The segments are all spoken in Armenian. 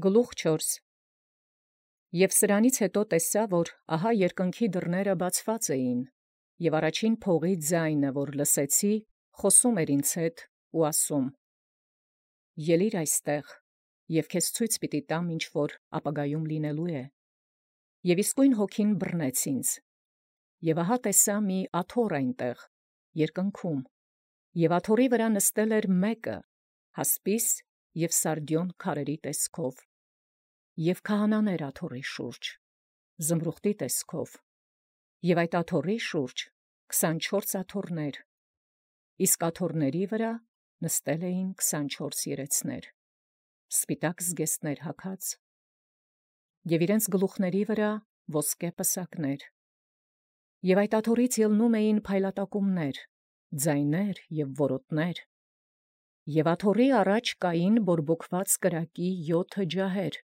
Գլուխ 4. Եւ սրանից հետո տեսա, որ ահա երկնքի դռները բացված էին, եւ առաջին փողի ձայնը, որ լսեցի, խոսում էր ինձ հետ ու ասում. Ելիր այստեղ, եւ քեզ ցույց պիտի տամ, ինչ որ ապագայում լինելու է։ Եւ իսկույն հոգին բռնեց ինձ, եւ ահա տեսա մի աթոռ այնտեղ, երկնքում, եւ աթոռի վրա նստել էր մեկը, հասպիս եւ սարդիոն քարերի տեսքով, եւ քահանաներ աթոռի շուրջ, զմրուխտի տեսքով, եւ այդ աթոռի շուրջ 24 աթոռներ, իսկ աթոռների վրա նստել էին 24 երեցներ, սպիտակ զգեստներ հագած, եւ իրենց գլուխների վրա ոսկե պսակներ, եւ այդ աթոռից ելնում էին փայլատակումներ, ձայներ եւ որոտներ, եւ աթոռի առաջ կային բորբոքված կրակի 7 ջահեր,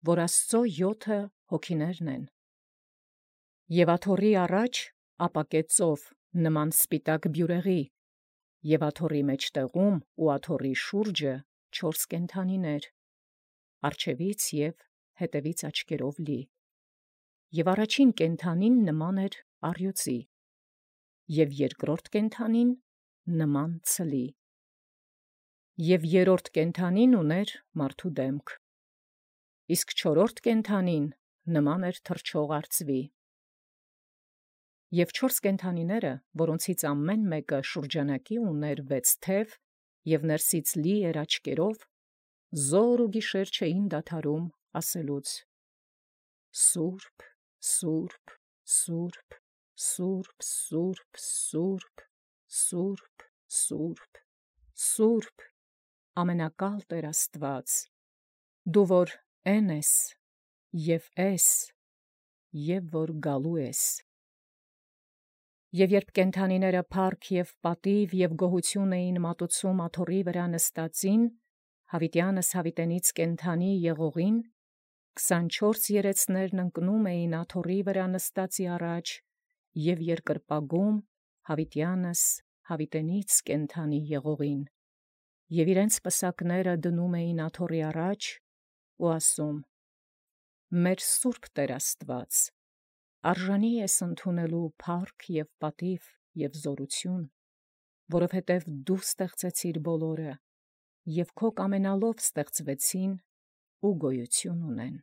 որ Աստծո 7 հոգիներն են, եւ աթոռի առաջ ապակե ծով նման սպիտակ բյուրեղի, եւ աթոռի մեջտեղում ու աթոռի շուրջը 4 կենդանիներ, առջևից եւ հետևից աչքերով լի, եւ առաջին կենդանին նման էր առյուծի, եւ երկրորդ կենդանին նման ցլի, եւ երրորդ կենդանին ուներ մարդու դեմք, իսկ չորրորդ կենդանին նման էր թռչող արծվի, եւ 4 կենդանիները, որոնցից ամեն մեկը շուրջանակի ուներ 6 թև եւ ներսից լի էր աչքերով, զոր ու գիշեր չէին դադարում ասելուց. Սուրբ, Սուրբ, Սուրբ, Սուրբ, Սուրբ, Սուրբ, Սուրբ, Սուրբ, Սուրբ, ամենակալ Տեր Աստված, դու որ են ես եւ ես եւ որ գալու ես։ Եվ երբ կենդանիները փառք եւ պատիվ եւ գոհություն էին մատուցում աթոռի վրա նստածին, Հավիտյանս հավիտենից կենդանի եղողին, 24 երեցներն ընկնում էին աթոռի վրա նստածի առաջ եւ երկրպագում Հավիտյանս հավիտենից կենդանի եղողին, եւ իրենց պսակները դնում էին աթոռի առաջ ու ասում. Մեր Սուրբ Տեր Աստված, արժանի ես ընդունելու փառք եւ պատիվ եւ զորություն, որովհետեւ դու ստեղծեցիր բոլորը, եւ քո կամենալով ստեղծվեցին ու գոյություն ունեն։